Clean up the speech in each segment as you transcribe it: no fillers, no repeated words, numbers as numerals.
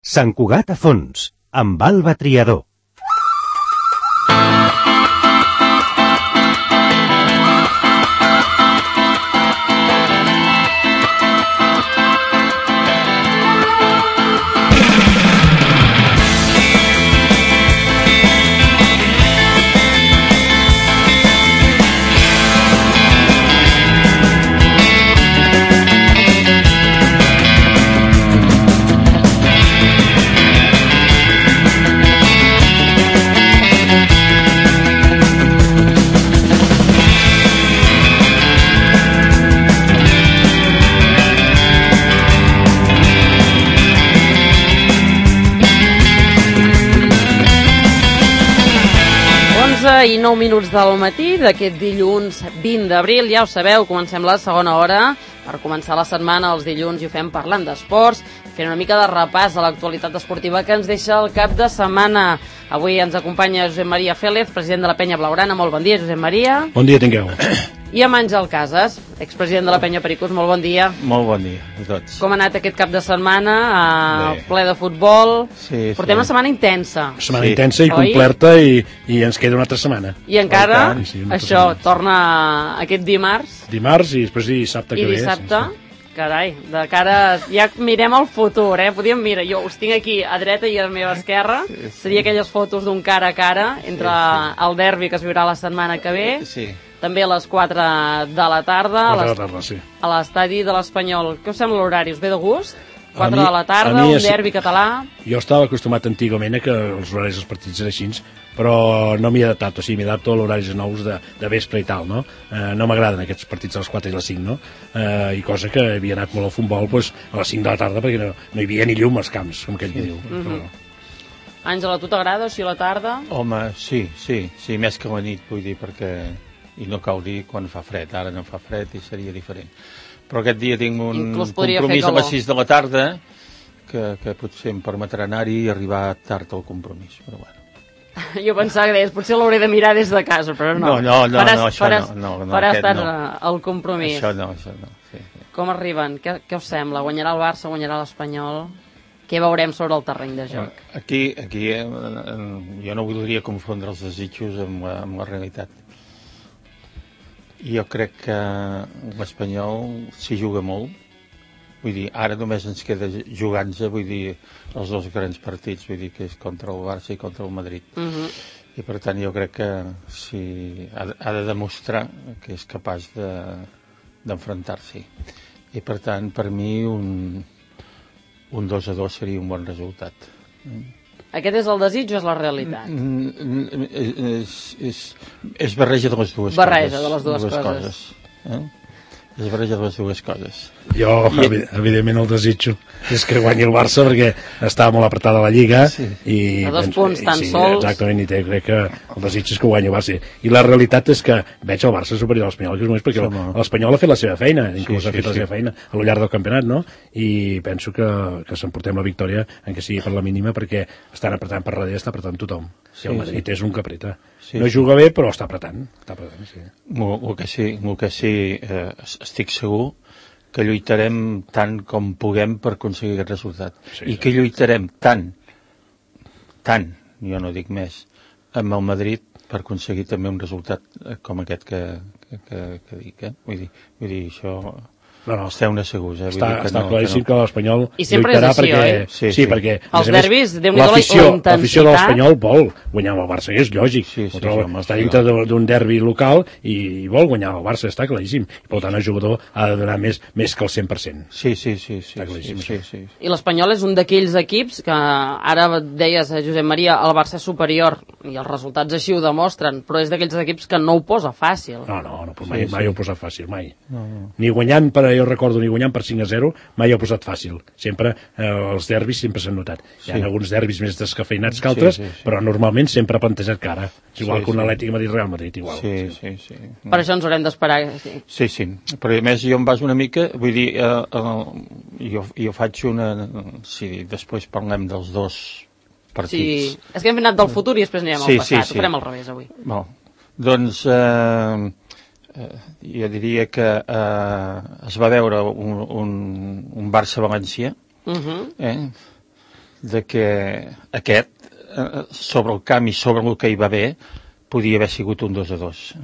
Sant Cugat a fons, amb Alba Triador. I 9 minuts del matí d'aquest dilluns 20 d'abril, ja ho sabeu, comencem la segona hora per començar la setmana. Els dilluns i ho fem parlant d'esports, fent una mica de repàs a l'actualitat esportiva que ens deixa el cap de setmana. Avui ens acompanya Josep Maria Félez, president de la Penya Blaugrana. Molt bon dia, Josep Maria. Bon dia, tingueu. I amb Àngel Casas, expresident de la Penya Pericos. Molt bon dia. Molt bon dia a tots. Com ha anat aquest cap de setmana? Ple de futbol. Sí, Portem una setmana intensa. Setmana intensa i complerta i ens queda una altra setmana. I encara, sí, això, torna aquest dimarts. Dimarts i després dissabte que ve. I dissabte, carai, de cara... Ja mirem el futur, Podríem mirar, jo us tinc aquí a dreta i a la meva esquerra. Seria aquelles fotos d'un cara a cara entre el derbi que es viurà la setmana que ve. Sí. També a les 4 de la tarda, sí. A l'estadi de l'Espanyol. Què us sembla l'horari? Us ve de gust? 4 de la tarda, un derbi català. Jo estava acostumat antigament a que els horaris dels partits eren així, però no m'hi he adaptat, o sigui, m'he adaptat a l'horaris nous de vespre i tal, no? No m'agraden aquests partits a les 4 i les 5, no? I cosa que havia anat molt al futbol doncs, a les 5 de la tarda perquè no hi havia ni llum als camps, com aquell que diu. Àngela, a tu t'agrada així a la tarda? Home, sí, més que la nit, vull dir, perquè... I no cal dir quan fa fred, ara no fa fred i seria diferent. Però aquest dia tinc un compromís a les 6 de la tarda que potser em permetrà anar-hi i arribar tard al compromís, però bueno. Jo pensava que deies, potser l'hauré de mirar des de casa, però no. No, això no. Faràs tard al compromís. Això no, sí. Com arriben? Què us sembla? Guanyarà el Barça, guanyarà l'Espanyol? Què veurem sobre el terreny de joc? Aquí jo no voldria confondre els desitjos amb la realitat. Jo crec que l'Espanyol s'hi juga molt. Vull dir, ara només ens queda jugant-se, vull dir, els dos grans partits, vull dir, que és contra el Barça i contra el Madrid. I per tant jo crec que ha de demostrar que és capaç d'enfrontar-s'hi. I per tant, per mi, un 2-2 seria un bon resultat. Aquest és el desig o és la realitat? És barreja de les dues coses. Barreja de les dues coses. És barreja de les dues coses. Jo, evidentment, el desitjo és que guanyi el Barça perquè està molt apretada la Lliga i a 2 punts tan sols. Exactament, i crec que el desig és que guanyi el Barça. I la realitat és que veig el Barça superior a l'Espanyol, que és només perquè l'Espanyol ha fet la seva feina, inclús ha fet la seva feina a lo llarg del campionat, no? I penso que s'emportem la victòria, encara sigui per la mínima, perquè estan apretant per darrere, està apretant tothom. I el Madrid és un que apreta. No juga bé, però està apretant. Sí. El que sí, estic segur que lluitarem tant com puguem per aconseguir aquest resultat. I que lluitarem tant, jo no dic més, amb el Madrid per aconseguir també un resultat com aquest que dic. Vull dir, això... Esteu segurs, Està claríssim que l'Espanyol lluitarà perquè... Sí, perquè... Els derbis, l'afició de l'Espanyol vol guanyar el Barça, és lògic. Està dintre d'un derbi local i vol guanyar el Barça, està claríssim. I per tant el jugador ha de donar més que el 100%. Sí. Està claríssim. I l'Espanyol és un d'aquells equips que ara deies, Josep Maria, el Barça és superior i els resultats així ho demostren, però és d'aquells equips que no ho posa fàcil. No, mai ho posa fàcil, mai. Ni guanyant jo recordo ni guanyant per 5-0 mai ho ha posat fàcil, sempre els derbis sempre s'han notat, hi ha alguns derbis més descafeinats que altres, però normalment sempre ha plantejat cara, igual que un Atlètic Madrid-Real Madrid, igual. Sí. Per això ens haurem d'esperar. Sí, però a més jo em baso una mica, vull dir, jo faig una... Si després parlem dels dos partits... Sí, és que hem anat del futur i després anirem al passat, ho farem al revés avui. Doncs... jo diria que es va veure un Barça-València de que aquest, sobre el camp i sobre el que hi va haver, podia haver sigut un 2-2.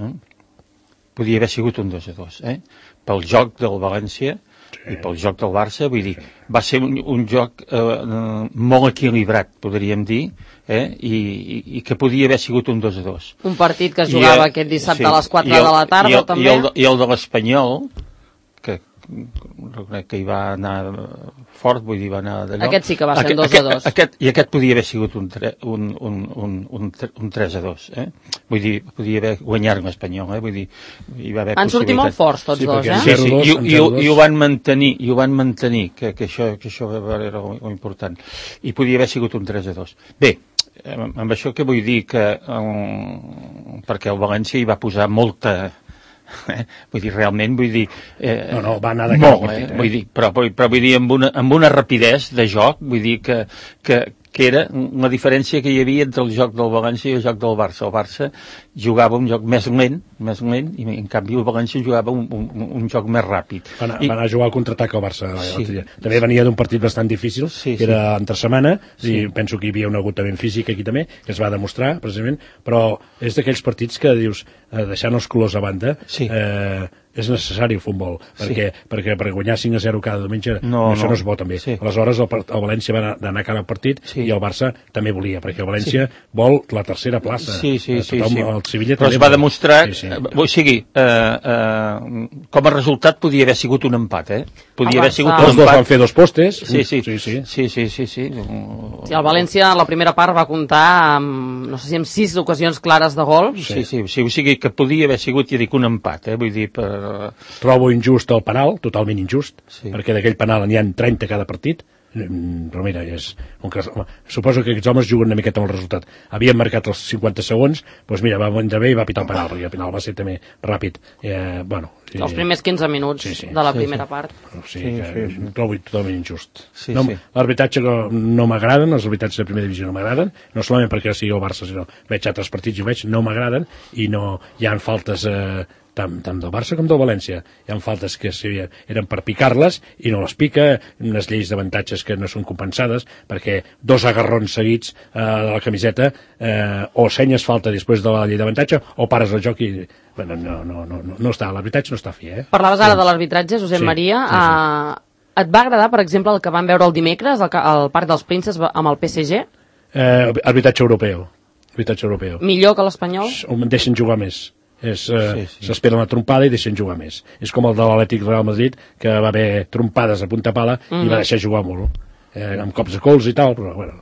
Podia haver sigut un 2-2, pel joc del València i pel joc del Barça, vull dir, va ser un joc molt equilibrat, podríem dir, i que podia haver sigut un 2-2. Un partit que es jugava aquest dissabte a les 4 de la tarda, també. I el de l'Espanyol, que reconec que hi va anar fort, vull dir, va anar d'allò. Aquest sí que va ser un 2-2. I aquest podia haver sigut un 3-2, Vull dir, podia haver guanyat l'Espanyol, vull dir, hi va haver van sortir molt forts tots dos, Sí, i ho van mantenir, que això era molt important. I podia haver sigut un 3-2. Bé, amb això què vull dir? Que perquè el València hi va posar molta... vull dir, realment, vull dir... no, va anar de cara al partit, vull dir, però vull dir, amb una rapidesa de joc, vull dir que era la diferència que hi havia entre el joc del València i el joc del Barça. El Barça jugava un joc més lent, i en canvi el València jugava un joc més ràpid. Va anar a jugar al contraatac al Barça. També venia d'un partit bastant difícil, que era entre setmana, i penso que hi havia un agotament físic aquí també, que es va demostrar, precisament, però és d'aquells partits que dius, deixant els colors a banda, és necessari el futbol, perquè per guanyar 5-0 cada diumenge això no es pot també. Aleshores el València va anar cara al partit i el Barça també volia, perquè el València vol la tercera plaça. El Sevilla però es va demostrar, o sigui, com a resultat podia haver sigut un empat, podia haver sigut un empat. Els dos van fer dos postes. Sí. El València en la primera part va comptar amb, no sé si amb 6 ocasions clares de gol. Sí, o sigui que podia haver sigut, ja dic, un empat, vull dir, Trobo injust el penal, totalment injust, perquè d'aquell penal n'hi ha 30 cada partit, però mira, suposo que aquests homes juguen una miqueta amb el resultat. Havien marcat els 50 segons, doncs mira, va entrar bé i va pitar el penal, perquè el penal va ser també ràpid. Els primers 15 minuts de la primera part. Trobo totalment injust. L'arbitratge no m'agraden, els arbitrats de primera divisió no m'agraden, no solament perquè sigui el Barça, sinó veig altres partits i ho veig, no m'agraden, i no hi ha faltes... tant del Barça com del València. Hi ha faltes que eren per picar-les i no les pica, unes lleis d'avantatges que no són compensades, perquè 2 agarrons seguits de la camiseta o senyes falta després de la llei d'avantatge o pares el joc i... Bueno, no està, l'arbitratge no està fi, Parlaves ara de l'arbitratge, Josep Maria. Et va agradar, per exemple, el que vam veure el dimecres al Parc dels Princes amb el PSG? Arbitratge europeu. Millor que l'Espanyol? Deixen jugar més. S'espera una trompada i deixen jugar més. És com el de l'Atlètic Real Madrid, que va haver trompades a punta pala i va deixar jugar molt, amb cops de cols i tal, però bueno,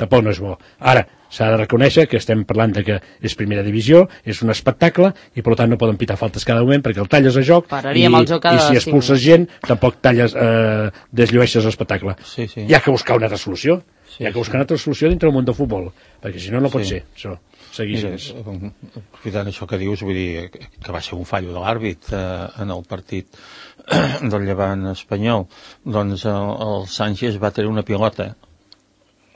tampoc no és bo. Ara, s'ha de reconèixer que estem parlant de que és primera divisió, és un espectacle i per tant no poden pitar faltes cada moment perquè el talles a joc i si expulses gent tampoc desllueixes l'espectacle. Hi ha que buscar una altra solució. Hi ha que buscar una altra solució dintre del món del futbol, perquè si no, no pot ser això. Aprofitant això que dius, vull dir que va ser un fallo de l'àrbit en el partit del Llevant espanyol, doncs el Sánchez va tenir una pilota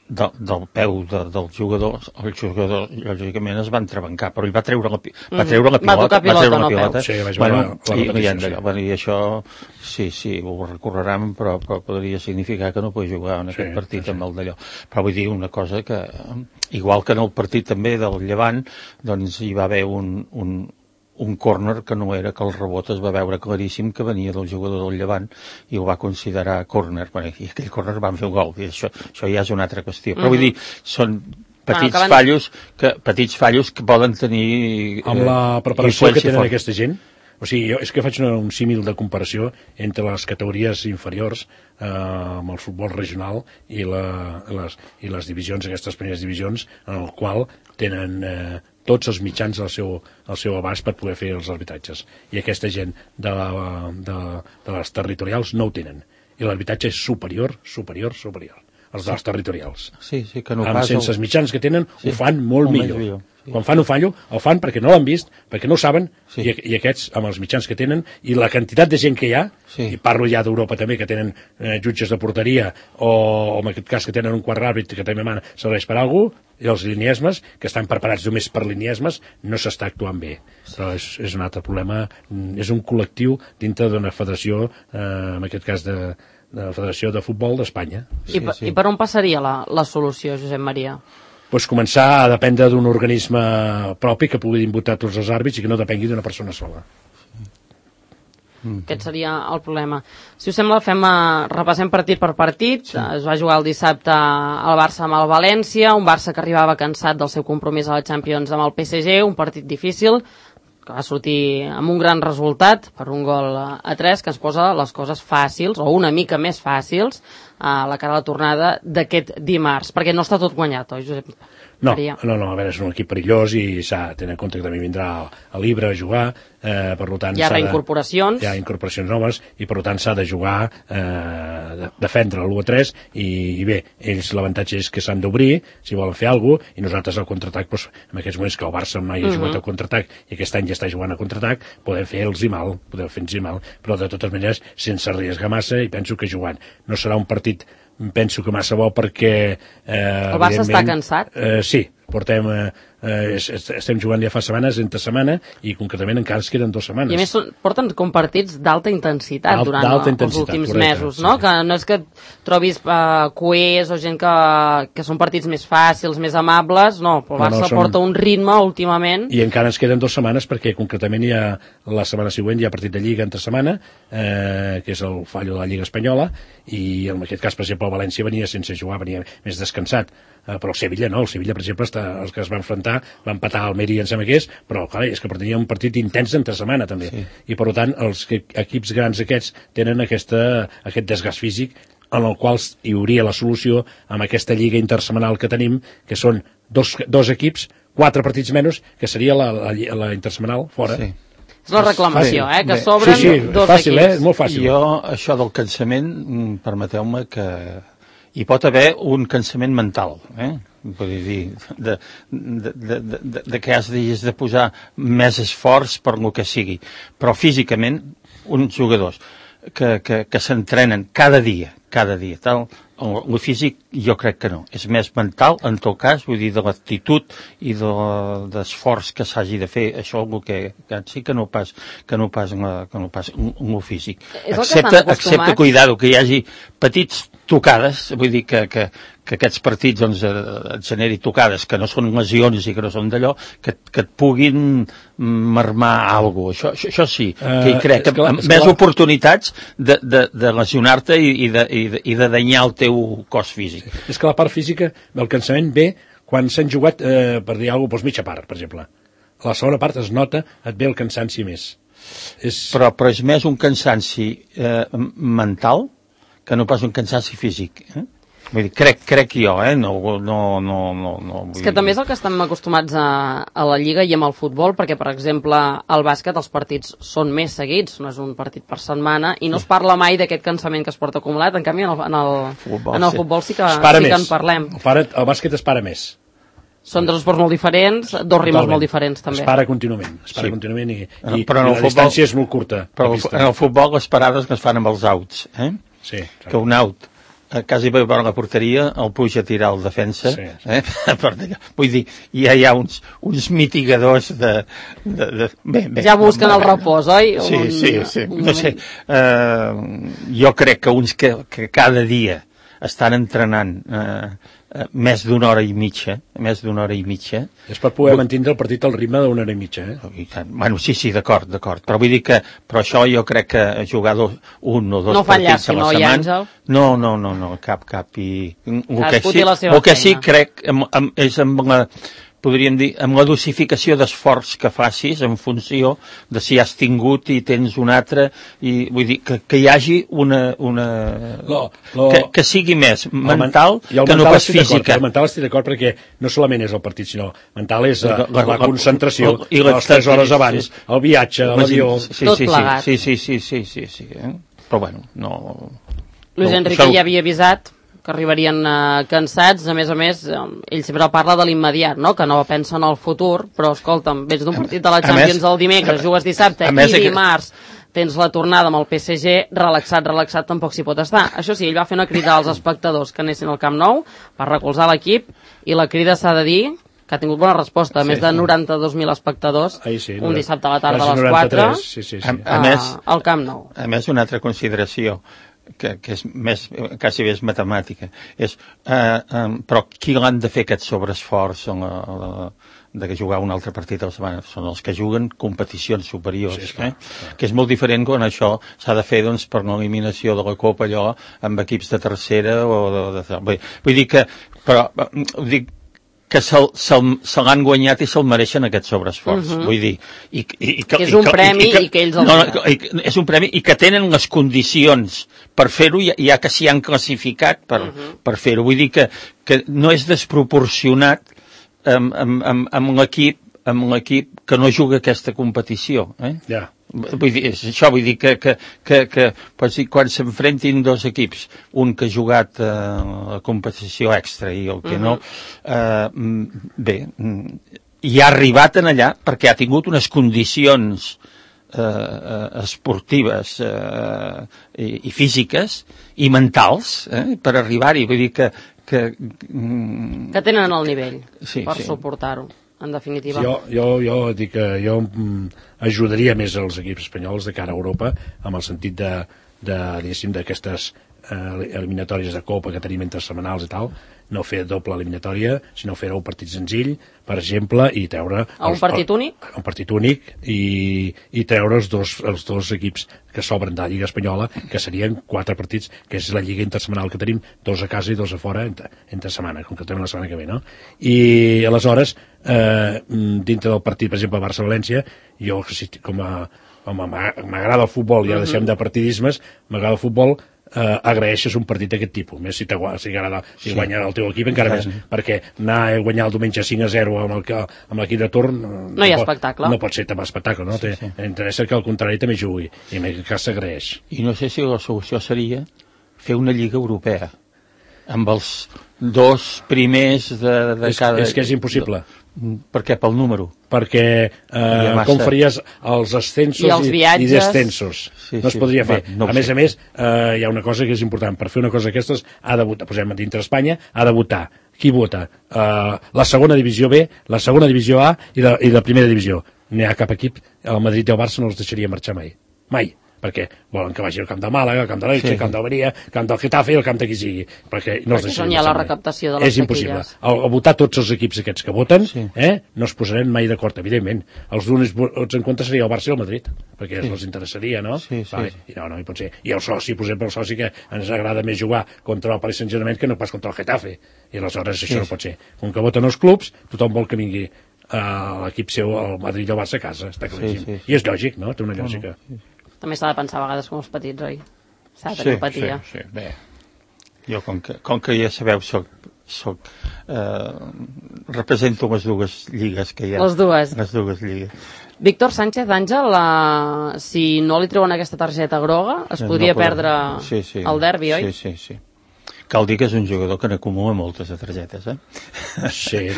del peu del jugador, el jugador lògicament es va entrebancar, però ell va treure la pilota, i això sí, ho recorreran, però podria significar que no pot jugar en aquest partit amb el d'allò. Però vull dir una cosa que, igual que en el partit també del Llevant, doncs hi va haver un córner que no era, que el rebot es va veure claríssim que venia del jugador del Llevant i ho va considerar córner, i aquell córner van fer el gol, i això ja és una altra qüestió. Però vull dir, són petits fallos que poden tenir amb la preparació que tenen aquesta gent. O sigui, és que faig un símil de comparació entre les categories inferiors amb el futbol regional i les divisions, aquestes primeres divisions, en el qual tenen tots els mitjans al seu abast per poder fer els arbitratges. I aquesta gent de les territorials no ho tenen. I l'arbitratge és superior. Els dels territorials. Que no pas... Sense els mitjans que tenen, ho fan molt millor. Quan fan un fallo, el fan perquè no l'han vist, perquè no ho saben, i aquests, amb els mitjans que tenen, i la quantitat de gent que hi ha, i parlo ja d'Europa també, que tenen jutges de porteria, o en aquest cas que tenen un quart àrbit que també serveix per alguna cosa, i els liniesmes, que estan preparats només per liniesmes, no s'està actuant bé. Però és un altre problema, és un col·lectiu dintre d'una federació, en aquest cas de la Federació de Futbol d'Espanya. I per on passaria la solució, Josep Maria? Pues començar a dependre d'un organisme propi que pugui votar tots els àrbits i que no depengui d'una persona sola. Aquest seria el problema. Si us sembla, repassem partit per partit. Es va jugar el dissabte al Barça amb el València, un Barça que arribava cansat del seu compromís a la Champions amb el PSG, un partit difícil, que va sortir amb un gran resultat, per un gol a 3, que ens posa les coses fàcils, o una mica més fàcils, a la cara de la tornada d'aquest dimarts, perquè no està tot guanyat, oi, Josep? No, a veure, és un equip perillós i s'ha de tenir en compte que també vindrà a l'Ibra a jugar, per tant... Hi ha reincorporacions. Hi ha incorporacions noves i per tant s'ha de jugar, defendre l'1-3 i bé, ells l'avantatge és que s'han d'obrir si volen fer alguna cosa i nosaltres al contraatac, doncs, en aquests moments que el Barça mai ha jugat al contraatac i aquest any ja està jugant a contraatac, podem fer-los mal, però de totes maneres sense arriesgar massa i penso que jugant. No serà un partit penso que massa bo perquè... El Barça està cansat? Sí, estem jugant ja fa setmanes, entre setmana, i concretament encara es queden 2 setmanes. I a més porten com partits d'alta intensitat durant els últims mesos, no? Sí. Que no és que trobis cuers o gent que són partits més fàcils, més amables, no, però el Barça porta un ritme últimament. I encara ens queden 2 setmanes perquè concretament hi ha la setmana següent hi ha partit de Lliga entre setmana, que és el fallo de la Lliga Espanyola, i en aquest cas, per exemple, el València venia sense jugar, venia més descansat. Però el Sevilla no, el Sevilla, per exemple, els que es van enfrontar, va empatar al Almeria, em sembla que però clar, és que tenia un partit intens entre setmana també, i per tant els equips grans aquests tenen aquest desgast físic en el qual hi hauria la solució amb aquesta lliga intersetmanal que tenim, que són dos equips, 4 partits menys, que seria la intersetmanal fora. És la reclamació, que s'obren 2 fàcil, equips. Molt fàcil. Jo, això del cansament, permeteu-me que hi pot haver un cansament mental, vull dir, de que has de posar més esforç per lo que sigui, però físicament uns jugadors que s'entrenen cada dia, tal, el físic jo crec que no, és més mental en tot cas, vull dir, de l'actitud i d'esforç que s'hagi de fer, això el que sí que no pas el físic, excepte cuidado, que hi hagi petits tocades, vull dir que aquests partits doncs, et generi tocades que no són lesions i que no són d'allò, que et puguin marmar alguna cosa. Això sí, que hi crec, més oportunitats de lesionar-te i de danyar el teu cos físic. És que la part física del cansament ve quan s'han jugat, per dir alguna cosa, mitja part, per exemple. A la segona part es nota, et ve el cansanci més. Però és més un cansanci mental que no pas un cansanci físic, Vull dir, crec jo, no... És que també és el que estem acostumats a la Lliga i amb el futbol, perquè, per exemple, al bàsquet els partits són més seguits, no és un partit per setmana, i no es parla mai d'aquest cansament que es porta acumulat, en canvi en el futbol sí que en parlem. El bàsquet es para més. Són 2 esports molt diferents, 2 ritmes molt diferents, també. Es para contínuament i la distància és molt curta. Però en el futbol les parades que es fan amb els outs, Sí. Que un out quasi per la porteria el puja a tirar el defensa, vull dir, ja hi ha uns mitigadors bé, ja busquen el repòs, oi? Sí, no sé, jo crec que uns que cada dia estan entrenant més d'una hora i mitja. És per poder mantindre el partit al ritme d'una hora i mitja, Bueno, sí, d'acord, però vull dir que però això jo crec que jugar 1 o 2 partits a la setmana... No, cap i... El que sí crec és amb la... podríem dir, amb la dosificació d'esforç que facis en funció de si has tingut i tens un altre, i vull dir que hi hagi que sigui més mental que no pas física. El mental estic d'acord perquè no solament és el partit, sinó mental és la concentració, les 3 hores abans, el viatge, l'avió... Tot plegat. Sí. Però bueno, no... Luis Enrique ja havia avisat que arribarien cansats, a més, ell sempre parla de l'immediat, no? Que no pensa en el futur, però escolta'm, vens d'un partit de la Champions el dimecres, jugues dissabte i dimarts tens la tornada amb el PSG, relaxat tampoc s'hi pot estar. Això sí, ell va fer una crida als espectadors que anessin al Camp Nou per recolzar l'equip, i la crida s'ha de dir que ha tingut bona resposta, més de 92.000 espectadors, un dissabte a la tarda a les 4 al Camp Nou. A més, una altra consideració, que és més, quasi bé és matemàtica. Però qui l'han de fer aquest sobreesforç de jugar un altre partit a la setmana? Són els que juguen competicions superiors, sí, clar. Que és molt diferent quan això s'ha de fer per una eliminació de la Copa, allò, amb equips de tercera o vull dir que se l'han guanyat i se'l mereixen aquest sobreesforç. Vull dir... que és un premi i que ells és un premi i que tenen les condicions per fer-ho, ja que s'hi han classificat per fer-ho. Vull dir que no és desproporcionat amb l'equip que no juga aquesta competició. Ja. Vull dir que quan s'enfrentin dos equips, un que ha jugat a competició extra i el que no, bé, i ha arribat en allà perquè ha tingut unes condicions esportives i físiques i mentals per arribar-hi. Vull dir que tenen el nivell per suportar-ho, en definitiva. Jo dic que jo ajudaria més els equips espanyols de cara a Europa, amb el sentit diguéssim, d'aquestes eliminatòries de Copa que tenim entre setmanals i tal, no fer doble eliminatòria, sinó fer-ho un partit senzill, per exemple, i treure... Un partit únic? Un partit únic, i treure els dos equips que s'obren de la Lliga Espanyola, que serien 4 partits, que és la Lliga intersetmanal que tenim, 2 a casa i 2 a fora entre setmana, concretament la setmana que ve, no? I aleshores, dintre del partit, per exemple, Barça-València, jo, com m'agrada el futbol, ja deixem de partidismes, m'agrada el futbol, agraeixes un partit d'aquest tipus, més si guanya el teu equip, encara més, perquè anar a guanyar el diumenge 5-0 amb l'equip de torn no hi ha espectacle, no pot ser també espectacle, no? Interessa que el contrari també jugui, i en aquest cas s'agraeix. I no sé si la solució seria fer una lliga europea amb els 2 primers de cada... És que és impossible. Per què? Pel número? Perquè com faries els ascensos i descensos? No es podria fer. A més, hi ha una cosa que és important. Per fer una cosa d'aquestes ha de votar, posem dintre Espanya, ha de votar. Qui vota? La segona divisió B, la segona divisió A i la primera divisió. No hi ha cap equip, el Madrid i el Barça no els deixaria marxar mai. Mai. Perquè volen que vagi al camp de Màlaga, al camp de l'Elche, al camp d'Almeria, al camp del Getafe i al camp de qui sigui. Perquè no els deixaria hi ha la recaptació de les és impossible. Al votar tots els equips aquests que voten, no es posaran mai d'acord, evidentment. Els únics vots en compte seria el Barça i el Madrid, perquè els interessaria, no? I no hi pot ser. I el soci, per exemple, el soci que ens agrada més jugar contra el Paris Saint-Germain que no pas contra el Getafe. I aleshores això no pot ser. Com que voten els clubs, tothom vol que vingui l'equip seu, el Madrid i el Barça a casa, està claríssim. I és lògic, no? Té una lògica. També s'ha de pensar a vegades com els petits, oi? S'ha de tenir empatia. Sí, bé. Jo, com que ja sabeu, represento les 2 lligues que hi ha. Les dues lligues. Víctor Sánchez, Àngel, si no li treuen aquesta targeta groga, es podria perdre el derbi, oi? Sí. Cal dir que és un jugador que n'acumula moltes de targetes, Sí.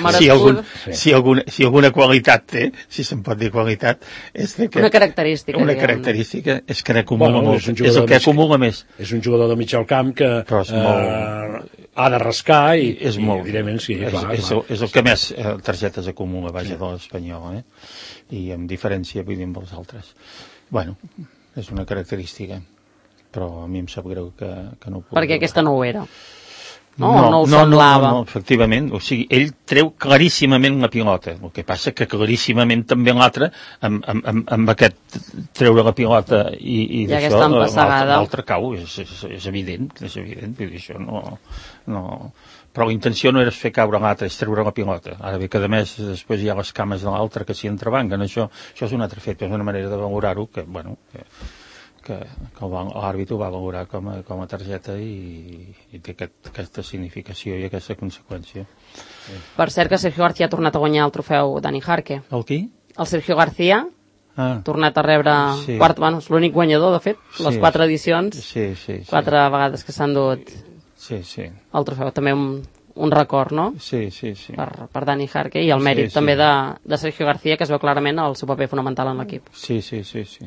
Si alguna qualitat té, si se'n pot dir qualitat, és que... Una característica. Una característica és que n'acumula molt. És el que acumula més. És un jugador de mig al camp que ha de rascar i evidentment sí. És el que més targetes acumula, vaja, de l'Espanyol, i amb diferència, vull dir, amb els altres. Bueno, és una característica. Però a mi em sap greu que no ho pugui. Perquè aquesta no ho era. No ho semblava. No, efectivament. O sigui, ell treu claríssimament la pilota. El que passa que claríssimament també l'altre, amb aquest treure la pilota i d'això, l'altre cau. És evident. Vull dir, això no... Però la intenció no era fer caure l'altre, és treure la pilota. Ara bé que, a més, després hi ha les cames de l'altre que s'hi entrebanquen. Això és un altre fet, és una manera de valorar-ho que, bueno... que l'àrbitre ho va valorar com a targeta i té aquesta significació i aquesta conseqüència. Per cert que Sergio García ha tornat a guanyar el trofeu Dani Jarque. El qui? El Sergio García ha tornat a rebre quart, bueno, és l'únic guanyador, de fet, les 4 edicions, 4 vegades que s'han dut el trofeu. També un record, no? Sí. Per Dani Jarque i el mèrit també de Sergio García, que es veu clarament el seu paper fonamental en l'equip. Sí.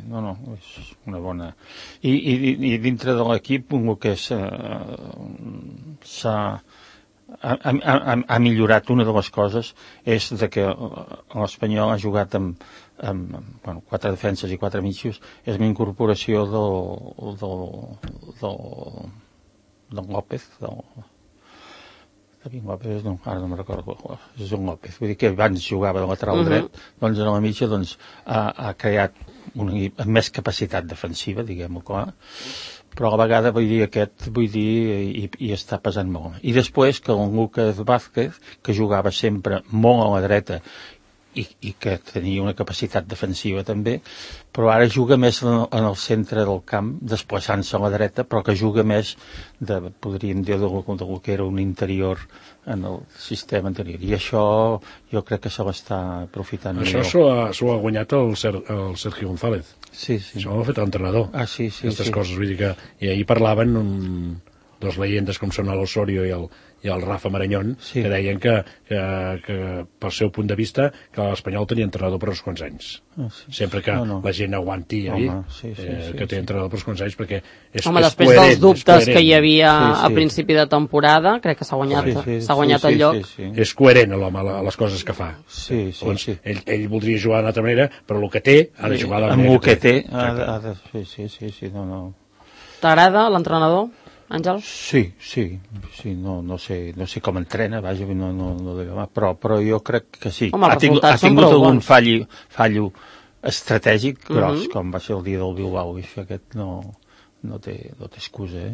No, és una bona... I dintre de l'equip, el que s'ha ha millorat. Una de les coses és de que l'Espanyol ha jugat amb 4 defenses i 4 mitjos, és una incorporació del López, David López, no, ara no me'n recordo, és un López, vull dir que abans jugava de lateral dret, doncs a la mitja ha creat un equip amb més capacitat defensiva, diguem-ho clar, però a la vegada i està pesant molt. I després que el Lucas Vázquez, que jugava sempre molt a la dreta i que tenia una capacitat defensiva també, però ara juga més en el centre del camp, desplaçant-se a la dreta, però que juga més, podríem dir, del que era un interior en el sistema anterior. I això jo crec que se l'està aprofitant millor. Això s'ho ha guanyat el Sergio González. Sí. Això ho ha fet l'entrenador. Sí. Aquestes coses, vull dir que... I ahir parlaven dos leyendes com són l'Osorio i el Rafa Marañón, que deien que pel seu punt de vista que l'Espanyol tenia entrenador per uns quants anys. Sempre que la gent aguanti que té entrenador per uns quants anys, perquè és coherent. Després dels dubtes que hi havia a principi de temporada, crec que s'ha guanyat el lloc. És coherent l'home a les coses que fa. Ell voldria jugar d'una altra manera, però el que té ha de jugar de la manera que té. Sí, no. T'agrada l'entrenador, Àngel? Sí, no sé com entrena, vaja, però jo crec que sí. Home, ha tingut algun fallo estratègic gros, com va ser el dia del Bilbao, i aquest no té excusa,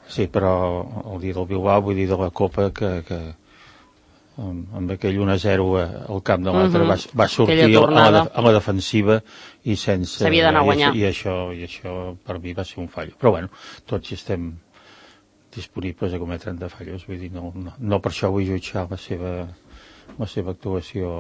Sí, però el dia del Bilbao, vull dir, de la Copa, que amb aquell 1-0 al camp de l'altre va sortir a la defensiva i sense... S'havia d'anar a guanyar. I això per mi va ser un fallo. Però bueno, tots estem disponibles a cometre de fallos, vull dir, no per això vull jutjar la seva actuació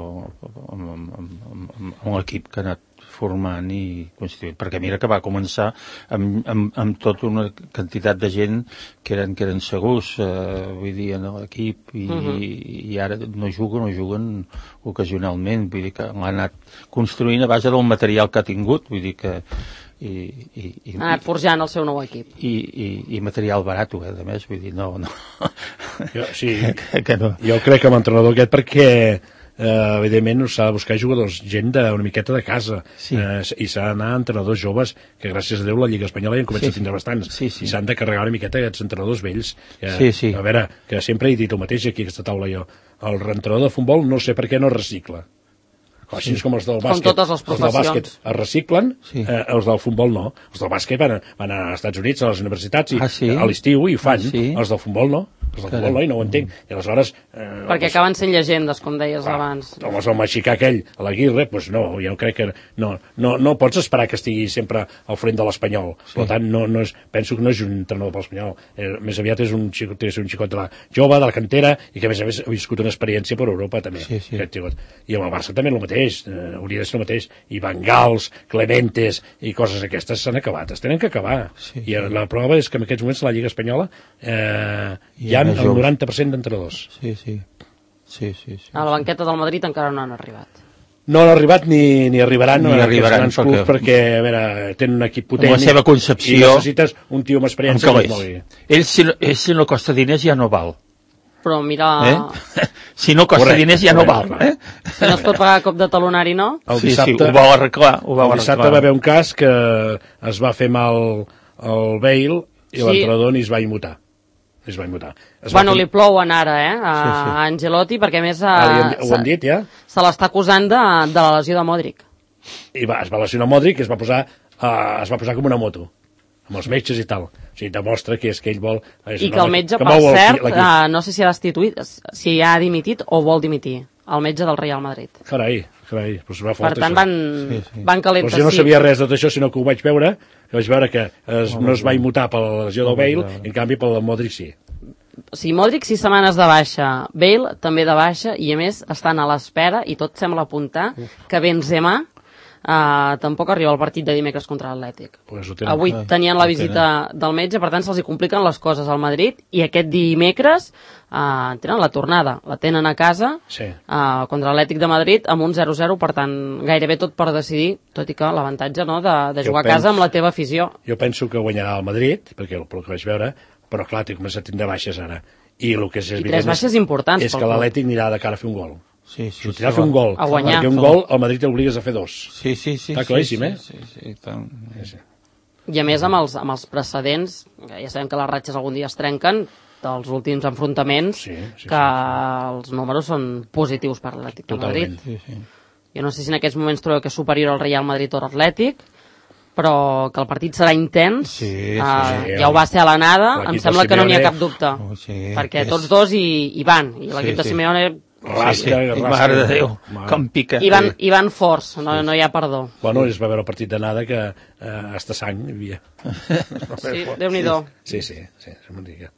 amb l'equip que ha anat formant i constituint, perquè mira que va començar amb tota una quantitat de gent que eren segurs, vull dir, en l'equip, i ara no juguen ocasionalment, vull dir que l'ha anat construint a base del material que ha tingut, vull dir que ha anat forjant el seu nou equip. I material barat, a més, vull dir, no. Jo crec que amb l'entrenador aquest, perquè evidentment s'ha de buscar jugadors, gent d'una miqueta de casa, i s'ha d'anar a entrenadors joves, que gràcies a Déu la Lliga Espanyola ja en comença a tindre bastants, i s'han de carregar una miqueta aquests entrenadors vells. A veure, que sempre he dit el mateix aquí a aquesta taula jo, el entrenador de futbol no sé per què no recicla. Així com els del bàsquet. Com totes les professions. Els del bàsquet es reciclen, els del futbol no. Els del bàsquet van als Estats Units, a les universitats, a l'estiu, i ho fan. Els del futbol no. Els del futbol no, i no ho entenc. I aleshores... Perquè acaben sent llegendes, com deies abans. Home, el mexicà aquell, a l'Aguirre, doncs no, jo crec que no pots esperar que estigui sempre al front de l'Espanyol. Per tant, penso que no és un entrenador per l'Espanyol. Més aviat és un xicot de la jove, de la cantera, i que a més ha viscut una experiència per Europa, també. I amb el Barça també el mateix. Hauria de ser el mateix, i Bengals, Clementes i coses aquestes s'han acabat, es tenen que acabar, i la prova és que en aquests moments a la Lliga Espanyola hi ha el 90% d'entrenadors. A la banqueta del Madrid encara no han arribat. No han arribat ni arribaran grans clubs, perquè a veure, tenen un equip potent, la seva concepció, i necessites un tio amb experiència que es mogui. Ell si no costa diners ja no val. Però mira... Si no costa diners ja no val. Si no es pot pagar cop de talonari, no? Sí, ho va arreglar. El dissabte va haver un cas que es va fer mal el Bale i l'entrenador ni es va immutar. Bueno, li plouen ara, a Ancelotti, perquè a més ho han dit, ja? Se l'està acusant de la lesió de Modric. I es va lesionar Modric i es va posar com una moto, amb els metges i tal. O sigui, demostra que és que ell vol... I que el metge, per cert, no sé si ha destituït, si ha dimitit o vol dimitir, el metge del Real Madrid. Carai, doncs va fort. Per tant, van calentes. Jo no sabia res de tot això, sinó que ho vaig veure, que no es va immutar per la lesió del Bale, en canvi per la Modric sí. O sigui, Modric 6 setmanes de baixa, Bale també de baixa, i a més estan a l'espera, i tot sembla apuntar, que Benzema tampoc arriba al partit de dimecres contra l'Atlètic. Avui tenien la visita del metge, per tant se'ls compliquen les coses al Madrid, i aquest dimecres tenen la tornada, la tenen a casa contra l'Atlètic de Madrid amb un 0-0, per tant gairebé tot per decidir, tot i que l'avantatge de jugar a casa amb la teva afició. Jo penso que guanyarà el Madrid, perquè el que vaig veure, però clar, té començat a tindre baixes ara, I el que és I 3 baixes importants. És que l'Atlètic anirà de cara a fer un gol. Sí, Sortirà a fer un gol. A guanyar. Perquè un gol al Madrid t'obligues a fer 2. Sí. Està claríssim, Sí, tant. I a més, amb els precedents, ja sabem que les ratxes algun dia es trenquen, dels últims enfrontaments, que els números són positius per l'Atlètic de Madrid. Sí. Jo no sé si en aquests moments trobeu que és superior al Real Madrid o l'Atlètic, però que el partit serà intens, ja ho va ser a l'anada, em sembla que no n'hi ha cap dubte, perquè tots dos hi van, i l'equip de Simeone rasca. Mare de Déu, com pica. I van forts, no hi ha perdó. Bueno, es va veure el partit d'anada que hasta sang hi havia. Sí, Déu-n'hi-do. Sí, se'm diga.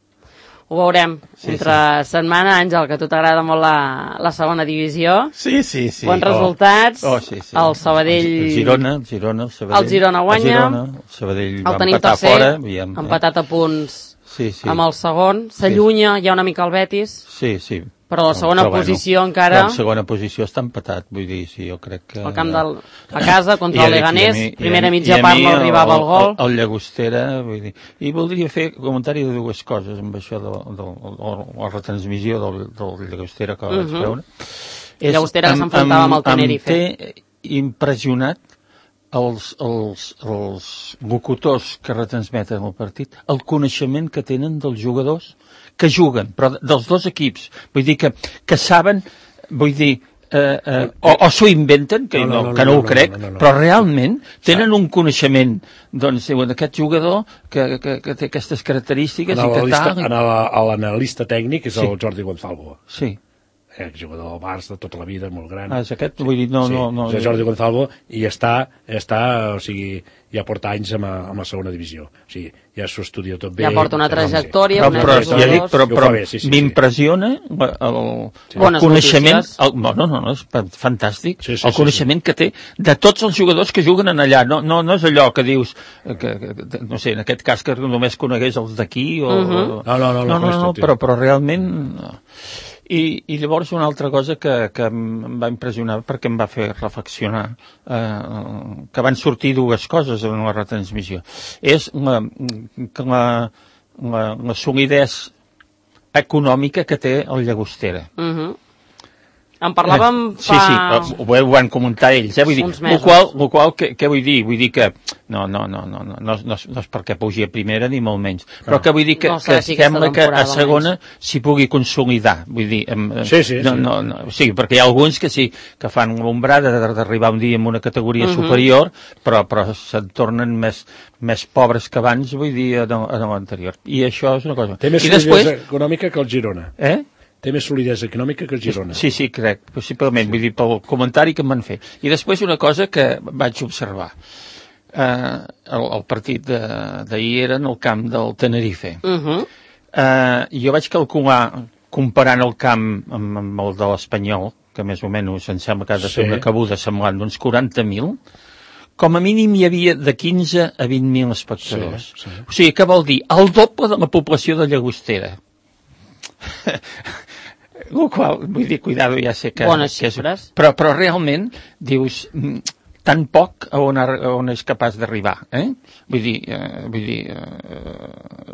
Ho veurem. Entre setmana, Àngel, que a tu t'agrada molt la segona divisió. Sí. Bons resultats. El Sabadell... El Girona, el Sabadell. El Girona guanya. El Sabadell va el tenim empatar tercer, fora. Empatat a punts amb el segon. S'allunya ja una mica el Betis. Sí. Però la segona posició encara... La segona posició està empatat, vull dir, sí, jo crec que... El camp a casa contra el Leganés, primera mitja part no arribava al gol. El Llagostera, vull dir... I voldria fer comentari de dues coses amb això de la retransmissió del Llagostera que vaig veure. El Llagostera que s'enfrontava amb el Tenerife. Em té impressionat els locutors que retransmeten el partit, el coneixement que tenen dels jugadors que juguen, però dels dos equips. Vull dir que saben, vull dir, o s'ho inventen, que no ho crec, però realment tenen un coneixement, doncs, d'aquest jugador que té aquestes característiques i que tal... L'analista tècnic és el Jordi Gonzalvo. Sí. Jugador del Barça tota la vida, molt gran. És aquest? Vull dir, no... És Jordi Gonzalvo i està, o sigui, ja porta anys amb la segona divisió. O sigui, ja s'ho estudia tot bé. Ja porta una trajectòria, però m'impressiona el coneixement... No, és fantàstic. El coneixement que té de tots els jugadors que juguen allà. No és allò que dius, no sé, en aquest cas que només conegués els d'aquí o... No, però realment... I llavors una altra cosa que em va impressionar perquè em va fer reflexionar, que van sortir dues coses en la retransmissió. És la solidesa econòmica que té el Llagostera. En parlàvem fa... Sí, ho van comentar ells, vull dir, el qual, què vull dir? Vull dir que no és perquè pugi a primera ni molt menys, però que vull dir que sembla que a segona s'hi pugui consolidar, vull dir... Sí, perquè hi ha alguns que sí, que fan l'ombrada d'arribar un dia en una categoria superior, però se'n tornen més pobres que abans, vull dir, a l'anterior. I això és una cosa. Té més solidesa econòmica que el Girona. Té més solidesa econòmica que el Girona. Sí, crec, possiblement, vull dir, pel comentari que em van fer. I després una cosa que vaig observar. El partit d'ahir era en el camp del Tenerife. Jo vaig calcular, comparant el camp amb el de l'Espanyol, que més o menys em sembla que ha de ser una cabuda semblant d'uns 40.000, com a mínim hi havia de 15 a 20.000 espectadors. O sigui, què vol dir? El doble de la població de Llagostera. El qual, vull dir, cuidado, ja sé que... Bones xifres. Però realment, dius, tan poc on és capaç d'arribar, Vull dir,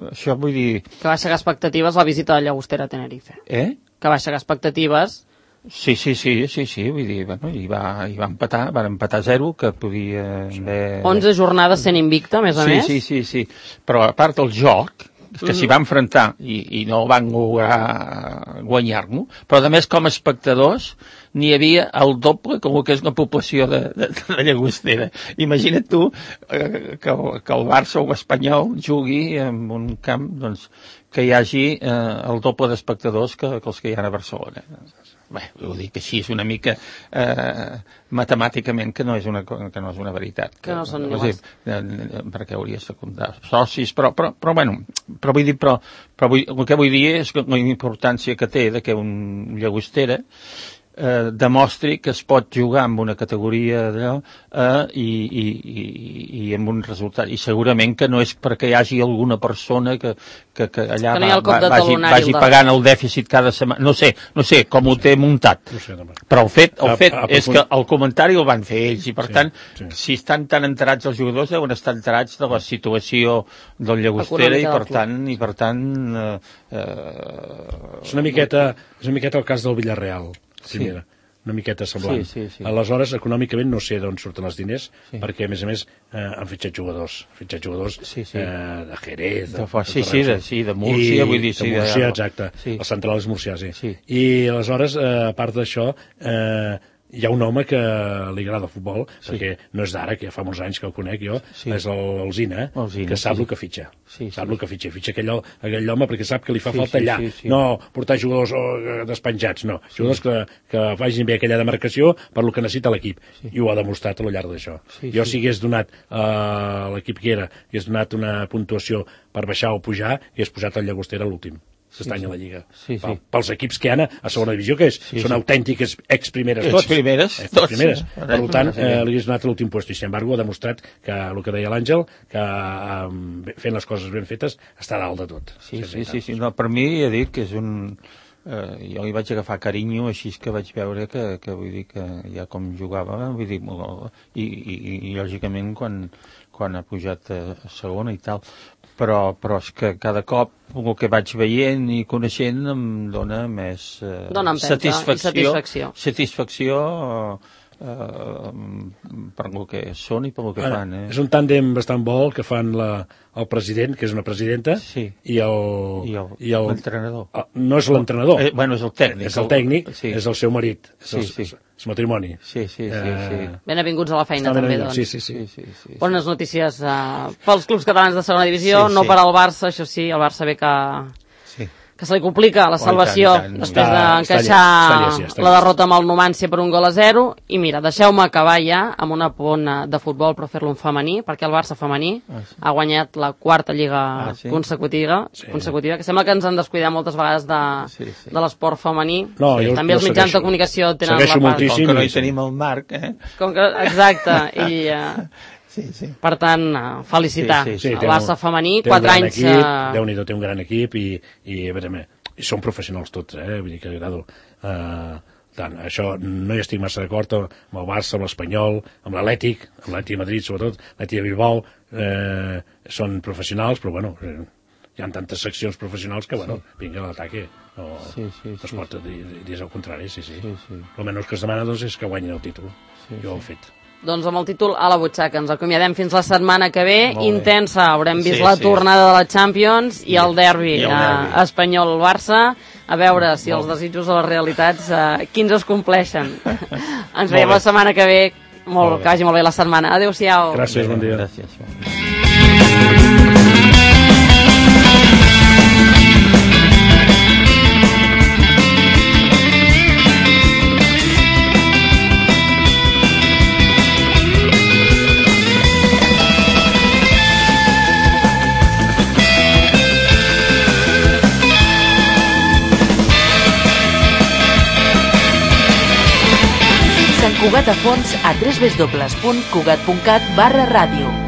això vull dir... Que va aixecar expectatives la visita de Llagostera a Tenerife. Que va aixecar expectatives... Sí, vull dir, bueno, i va empatar, van empatar 0, que podia haver... 11 jornades sent invicta, més a més. Sí, però a part del joc, que s'hi va enfrontar i no van lograr guanyar-lo, però a més com a espectadors n'hi havia el doble com que és la població de Llagostera. Imagina't tu que el Barça o l'Espanyol jugui en un camp doncs, que hi hagi el doble d'espectadors que els que hi ha a Barcelona. Bé, ho dic així, és una mica matemàticament que no és una veritat. Que no són iguals. Perquè hauria de secundar socis, però bueno, el que vull dir és la importància que té de que un Llagostera demostri que es pot jugar amb una categoria d'allò i amb un resultat. I segurament que no és perquè hi hagi alguna persona que allà vagi pagant el dèficit cada setmana. No sé com ho té muntat. Però el fet és que el comentari el van fer ells i, per tant, si estan tan enterats els jugadors, deuen estar enterats de la situació del Llagostera i, per tant... És una miqueta el cas del Villarreal. Primera, una miqueta semblant. Aleshores, econòmicament no sé d'on surten els diners, perquè, a més, han fitxat jugadors de Jerez, de Múrcia, vull dir... De Múrcia, exacte. El central és Múrcia, sí. I, aleshores, a part d'això, hi ha un home que li agrada el futbol, perquè no és d'ara, que ja fa molts anys que el conec jo, és l'Alzina, que sap el que fitxa. Sap el que fitxa. Fitxa aquell home perquè sap que li fa falta allà. No portar jugadors despenjats, no. Jugadors que facin bé aquella demarcació per lo que necessita l'equip. I ho ha demostrat a lo llarg d'això. Jo, si hagués donat a l'equip que era, hagués donat una puntuació per baixar o pujar, hagués posat el Llagostera a l'últim. S'estany a la Lliga. Pels equips que hi ha a segona divisió, que són autèntiques ex-primeres tots. Ex-primeres. Per tant, li hagués donat l'últim lloc. I, sin embargo, ha demostrat que, el que deia l'Àngel, que fent les coses ben fetes està dalt de tot. Sí. No, per mi, he dit que és un... jo li vaig agafar carinyo, així que vaig veure que vull dir que ja com jugava, vull dir, i lògicament quan ha pujat a segona i tal, però és que cada cop el que vaig veient i coneixent em dona més satisfacció per el que són i per el que fan. És un tàndem bastant bo que fan el president, que és una presidenta, i l'entrenador. No és l'entrenador. Bueno, és el tècnic. És el tècnic, és el seu marit, és matrimoni. Benvinguts a la feina, també, doncs. Sí. Bones notícies pels clubs catalans de segona divisió, no per al Barça, això sí, el Barça ve que se li complica la salvació després d'encaixar la derrota amb el Numancia per 1-0, i mira, deixeu-me acabar ja amb una pona de futbol, però fer-lo en femení, perquè el Barça femení ha guanyat la quarta lliga consecutiva, que sembla que ens han descuidat moltes vegades de l'esport femení. També els mitjans de comunicació tenen la part. Com que no hi tenim el Marc, exacte, i... Per tant, felicitar el Barça femení, 4 anys... Déu-n'hi-do, té un gran equip i són professionals tots, vull dir que agrado tant. Això no hi estic massa d'acord amb el Barça, amb l'Espanyol, amb l'Atlètic, amb l'Atlètic de Madrid sobretot, l'Atlètic de Bilbao, són professionals, però bueno, hi ha tantes seccions professionals que, bueno, vinga a l'ataque. No es pot dir el contrari, el menys que es demana és que guanyin el títol. Jo ho he fet. Doncs amb el títol a la butxaca. Ens acomiadem fins la setmana que ve. Intensa. Haurem vist la tornada de la Champions i el derbi espanyol-Barça. A veure si els desitjos o les realitats quins es compleixen. Ens veiem la setmana que ve. Que vagi molt bé la setmana. Adéu-siau. Gràcies, bon dia. Cugat a fons a www.cugat.cat/ràdio.